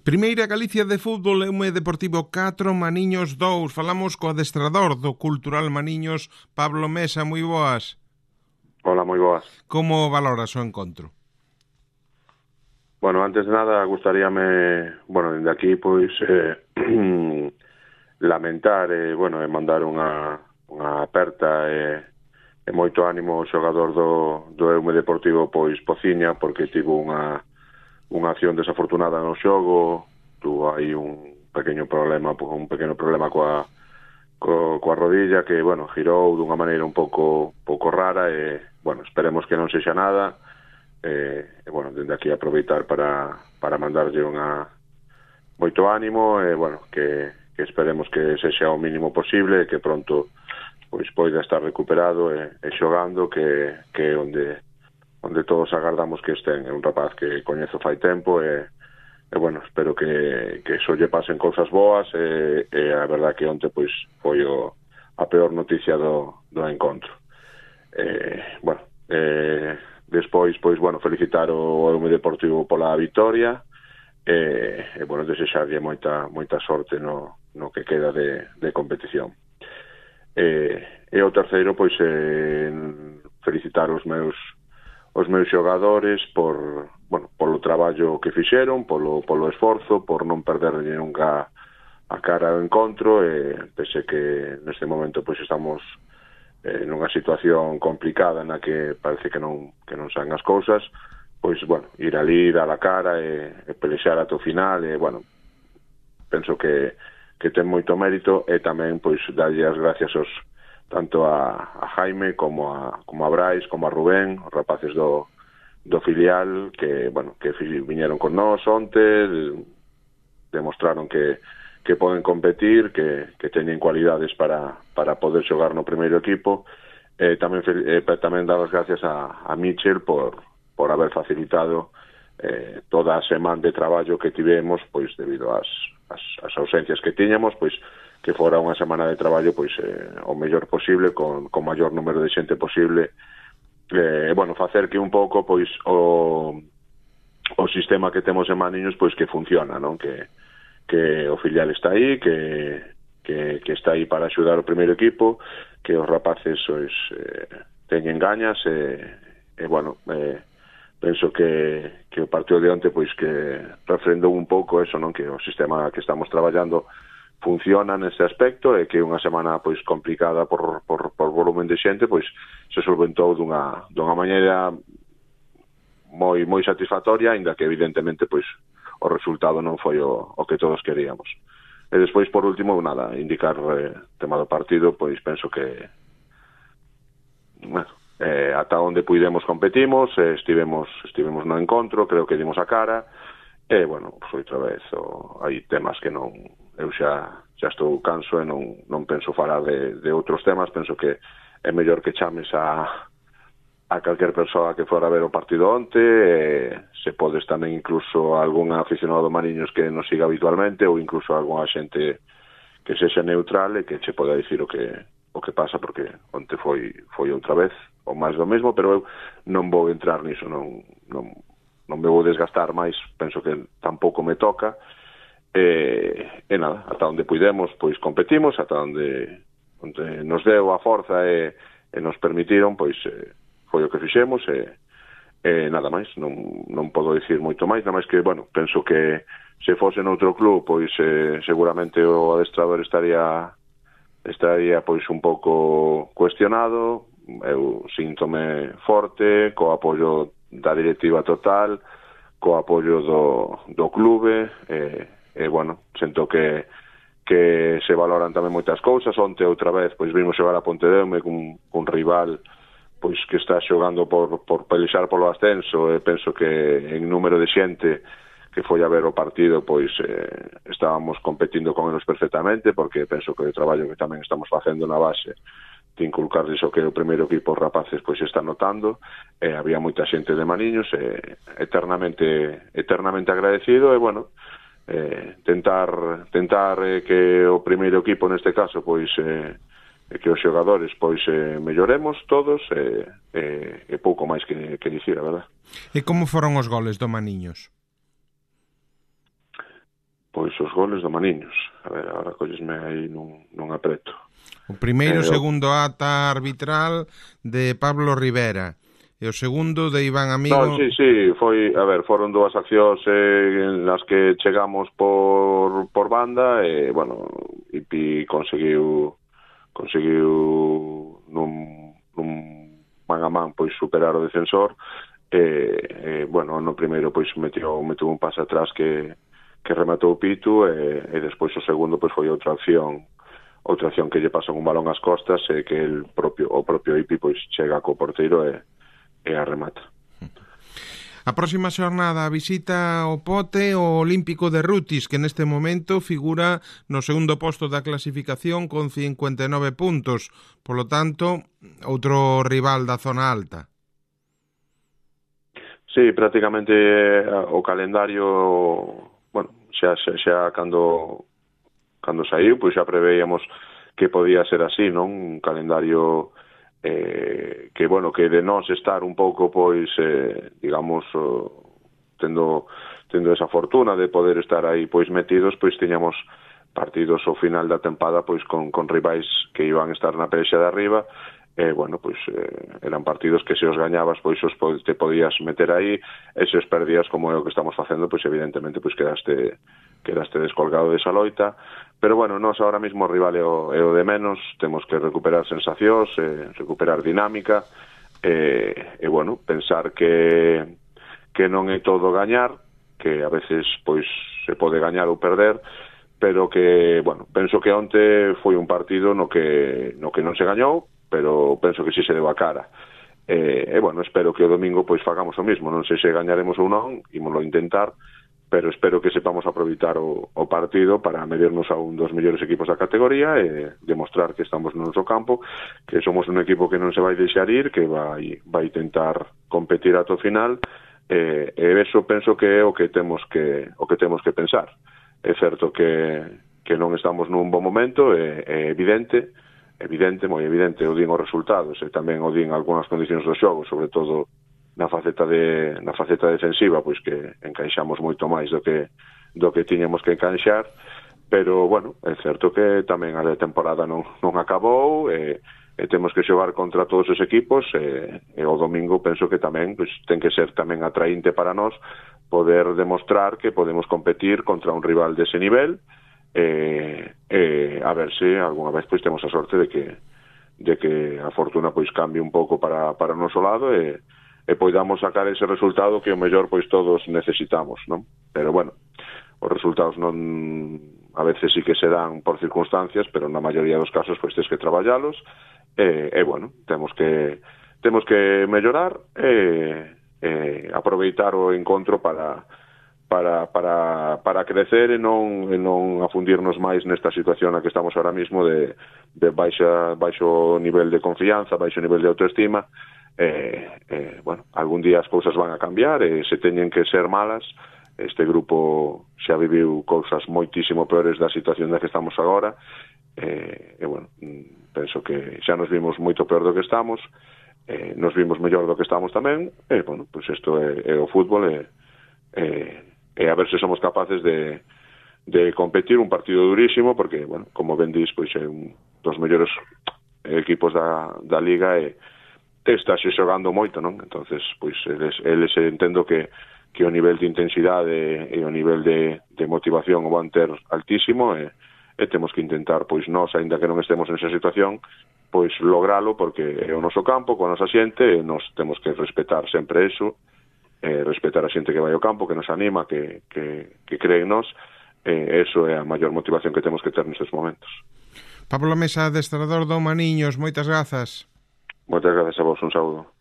Primeira Galicia de fútbol, Eume Deportivo 4, Maniños 2. Falamos co adestrador do Cultural Maniños, Pablo Mesa, moi boas. Hola, moi boas. Como valoras o encontro? Bueno, antes de nada, gustaríame, dende aquí, pois, lamentar e mandar unha aperta e moito ánimo ao xogador do Eume Deportivo, pois, Pociña, porque tivo unha acción desafortunada no xogo, tuvo aí un pequeno problema coa rodilla que, girou dunha maneira un pouco rara e, esperemos que non sexa nada. Dende aquí aproveitar para mandarlle moito ánimo e, que esperemos que sexa o mínimo posible e que pronto pois poida estar recuperado e xogando, que é onde todos agardamos que estén. É un rapaz que coñezo fai tempo e espero que só lle pasen cousas boas e a verdad que onte pois foi a peor noticia do encontro. Despois, felicitar o Eume Deportivo pola vitoria e desexarlle moita sorte no que queda de competición. E o terceiro, felicitar os meus xogadores polo traballo que fixeron, polo esforzo, por non perderlle nunca a cara ao encontro, e pese que neste momento estamos nunha situación complicada na que parece que non saen as cousas, ir ali, dar a cara e pelexar ata o final, e penso que ten moito mérito, e tamén darlle as gracias tanto a Jaime como a Brais, como a Rubén, os rapaces do filial que viñeron con nós onte, demostraron que poden competir, que teñen cualidades para poder xogar no primeiro equipo. Tamén dar as gracias a Michel por haber facilitado toda a semana de traballo que tivemos, debido ás ausencias que tiñamos, que fora unha semana de traballo o mellor posible, con maior número de xente posible, facer que un pouco o sistema que temos en Maniños que funciona, non? Que o filial está aí, que está aí para axudar o primeiro equipo, que os rapaces teñen gañas penso que o partido de onte que refrendou un pouco eso, non? Que o sistema que estamos traballando funciona neste aspecto, e que unha semana complicada por volumen de xente se solventou dunha maneira moi satisfactoria, aínda que evidentemente o resultado non foi o que todos queríamos. E despois, por último, indicar tema do partido, penso que ata onde puidemos competimos, estivemos no encontro, creo que dimos a cara, e, outra vez, hai temas que eu xa estou canso e non penso falar de outros temas. Penso que é mellor que chames a calquer persoa que fora a ver o partido onte, se podes tamén incluso algún aficionado do Mariños que nos siga habitualmente, ou incluso algunha xente que sexa neutral e que che poda dicir o que pasa, porque onte foi outra vez o máis do mesmo, pero eu non vou entrar niso, non me vou desgastar máis, penso que tampouco me toca, e nada, ata onde puidemos competimos, ata onde nos deu a forza e nos permitiron, foi o que fixemos, e nada máis, non podo dicir moito máis, nada máis que, penso que se fose noutro club, seguramente o adestrador estaría un pouco cuestionado. Eu síntome forte, co apoio da directiva total, co apoio do clube, sento que se valoran tamén moitas cousas. Onte outra vez vimos xogar a Pontedeume cun rival que está xogando por pelexar polo ascenso, e penso que en número de xente que foi a ver o partido estábamos competindo con eles perfectamente, porque penso que o traballo que tamén estamos facendo na base de inculcarles o que o primeiro equipo os rapaces está notando, e había moita xente de Maniños, eternamente agradecido, e tentar que o primeiro equipo neste caso que os xogadores melloremos todos, e pouco máis que dicir, a verdad. E como foron os goles do Maniños? Pois os goles do Maniños. A ver, agora collesme aí nun apreto. O primeiro e segundo ata arbitral de Pablo Rivera. E o segundo de Iván Amigo... No, sí, foi, a ver, foron dúas accións en las que chegamos por banda e, bueno, Ipi conseguiu nun man a man pois superar o defensor e bueno, no primeiro pois meteu un pase atrás que rematou o Pitu e despois o segundo pois foi outra acción que lle pasan un balón ás costas e que o propio Ipi pois chega co porteiro e a remata. A próxima xornada visita o Pote o Olímpico de Rutis, que neste momento figura no segundo posto da clasificación con 59 puntos. Polo tanto, outro rival da zona alta. Sí, prácticamente o calendario, bueno, xa cando saiu, pois xa preveíamos que podía ser así, non? Un calendario que, bueno, que de nós estar un pouco, pois, digamos, tendo esa fortuna de poder estar aí, pois, metidos, pois, tiñamos partidos ao final da tempada, pois, con rivais que iban a estar na pelexa de arriba, bueno, pois, eran partidos que se os gañabas, pois, te podías meter aí, e se os perdías, como é o que estamos facendo, pois, evidentemente, pois, quedaste descolgado desa loita, pero bueno, nós ahora mismo o rival é o de menos, temos que recuperar sensacións, recuperar dinámica, e bueno, pensar que non é todo gañar, que a veces pois se pode gañar ou perder, pero que, bueno, penso que onte foi un partido no que non se gañou, pero penso que si se deu a cara. E bueno, espero que o domingo pois fagamos o mismo, non sei se gañaremos ou non, ímoslo intentar, pero espero que sepamos aproveitar o partido para medirnos a un dos mellores equipos da categoría e demostrar que estamos no noso campo, que somos un equipo que non se vai deixar ir, que vai tentar competir ata o final, e eso penso que é o que temos que pensar. É certo que non estamos nun bon momento, é evidente, moi evidente, o din os resultados e tamén o din algunhas condicións do xogo, sobre todo na faceta defensiva, pois que encaixamos moito máis do que tiñamos que encaixar, pero, bueno, é certo que tamén a temporada non acabou e temos que xogar contra todos os equipos e o domingo penso que tamén pois, ten que ser tamén atraínte para nós poder demostrar que podemos competir contra un rival dese nivel a ver se algunha vez pois temos a sorte de que a fortuna pois cambie un pouco para o noso lado e poidamos sacar ese resultado que o mellor pois todos necesitamos, non? Pero bueno, os resultados non a veces sí que se dan por circunstancias, pero na maioría dos casos pois tens que traballalos e bueno, temos que mellorar e aproveitar o encontro para crecer e non afundirnos máis nesta situación na que estamos ahora mismo de baixo nivel de confianza, baixo nivel de autoestima. Bueno, algún día as cousas van a cambiar e se teñen que ser malas. Este grupo xa viviu cousas moitísimo peores da situación na que estamos agora e bueno, penso que xa nos vimos moito peor do que estamos, nos vimos mellor do que estamos tamén e bueno, pois isto é o fútbol e a ver se somos capaces de competir un partido durísimo porque, bueno, como ben dis, pois é un dos mellores equipos da Liga e está xogando moito, non? Entonces, pois, eles entendo que o nivel de intensidade e o nivel de motivación o van ter altísimo e temos que intentar, pois, nós, aínda que non estemos nesa situación, pois, logralo, porque é o noso campo, coa nosa xente, e nós temos que respetar sempre eso, respetar a xente que vai ao campo, que nos anima, que cree en nós, eso é a maior motivación que temos que ter nestes momentos. Pablo Mesa, adestrador do Maniños, moitas grazas. Moitas grazas a vos, un saúdo.